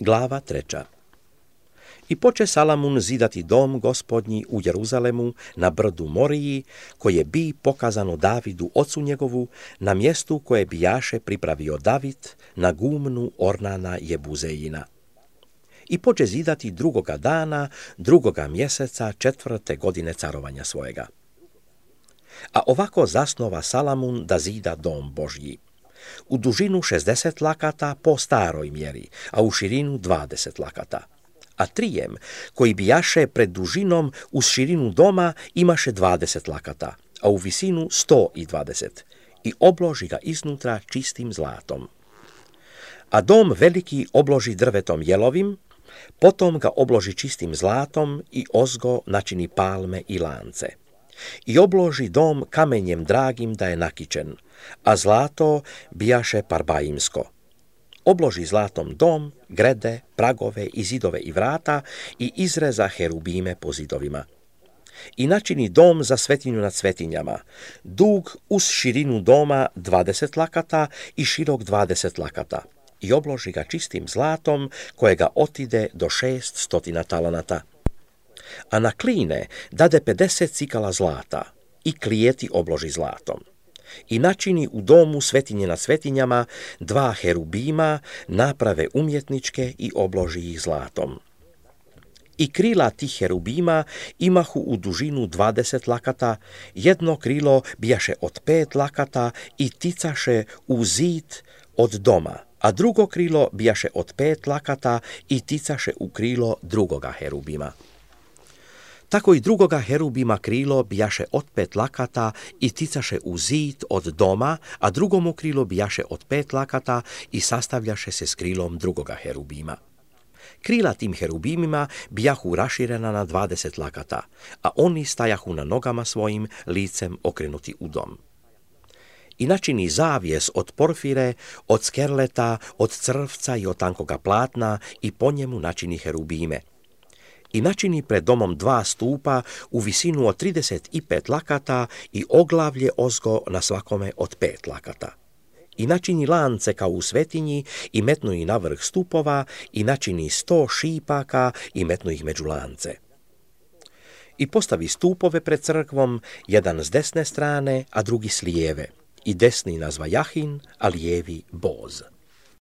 Glava 3. I poče Salamun zidati dom gospodnji u Jeruzalemu na brdu Moriji, koje bi pokazano Davidu ocu njegovu, na mjestu koje bijaše pripravio David, na gumnu Ornana Jebuzejina. I poče zidati 2. dana, 2. mjeseca 4. godine carovanja svojega. A ovako zasnova Salamun da zida dom Božji. U dužinu 60 lakata po staroj mjeri, a u širinu 20 lakata. A trijem, koji bijaše pred dužinom uz širinu doma, imaše 20 lakata, a u visinu 120, i obloži ga iznutra čistim zlatom. A dom veliki obloži drvetom jelovim, potom ga obloži čistim zlatom i ozgo načini palme i lance. I obloži dom kamenjem dragim da je nakičen, a zlato bijaše parbaimsko. Obloži zlatom dom, grede, pragove i zidove i vrata i izreza herubime po zidovima. I načini dom za svetinju nad svetinjama, dug uz širinu doma 20 lakata i širok 20 lakata. I obloži ga čistim zlatom kojega otide do 600 talanata. A na kline dade 50 cikala zlata i klijeti obloži zlatom. I načini u domu svetinje nad svetinjama 2 herubima, naprave umjetničke i obloži ih zlatom. I krila tih herubima imahu u dužinu 20 lakata, jedno krilo bijaše od 5 lakata i ticaše u zid od doma, a drugo krilo bijaše od 5 lakata i ticaše u krilo drugoga herubima. Tako i drugoga herubima krilo bijaše od 5 lakata i ticaše u zid od doma, a drugomu krilo bijaše od 5 lakata i sastavljaše se s krilom drugoga herubima. Krila tim herubimima bijahu raširena na 20 lakata, a oni stajahu na nogama svojim, licem okrenuti u dom. I načini zavjes od porfire, od skerleta, od crvca i od tankoga platna i po njemu načini herubime. I načini pred domom 2 stupa u visinu od 35 lakata i oglavlje ozgo na svakome od 5 lakata. I načini lance kao u svetinji i metnu ih na vrh stupova i načini 100 šipaka i metnu ih među lance. I postavi stupove pred crkvom, jedan s desne strane, a drugi s lijeve. I desni nazva Jahin, a lijevi Boz.